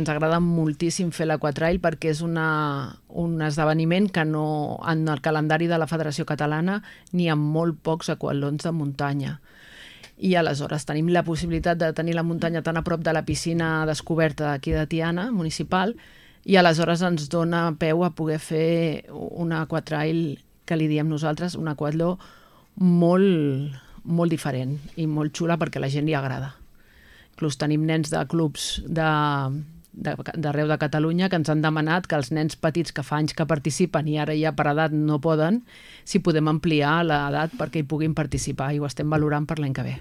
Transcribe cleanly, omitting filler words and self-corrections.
Ens agrada moltíssim fer l'Aquatrail perquè és un esdeveniment que no, en el calendari de la Federació Catalana n'hi ha molt pocs aquatlons de muntanya. I aleshores tenim la possibilitat de tenir la muntanya tan a prop de la piscina descoberta d'aquí de Tiana, municipal, i aleshores ens dona peu a poder fer un aquatrail que li diem nosaltres, un aquatló molt, molt diferent i molt xula perquè a la gent li agrada. Inclús tenim nens de clubs d'arreu de Catalunya que ens han demanat que els nens petits que fa anys que participen i ara ja per edat no poden, si podem ampliar l'edat perquè hi puguin participar, i ho estem valorant per l'any que ve.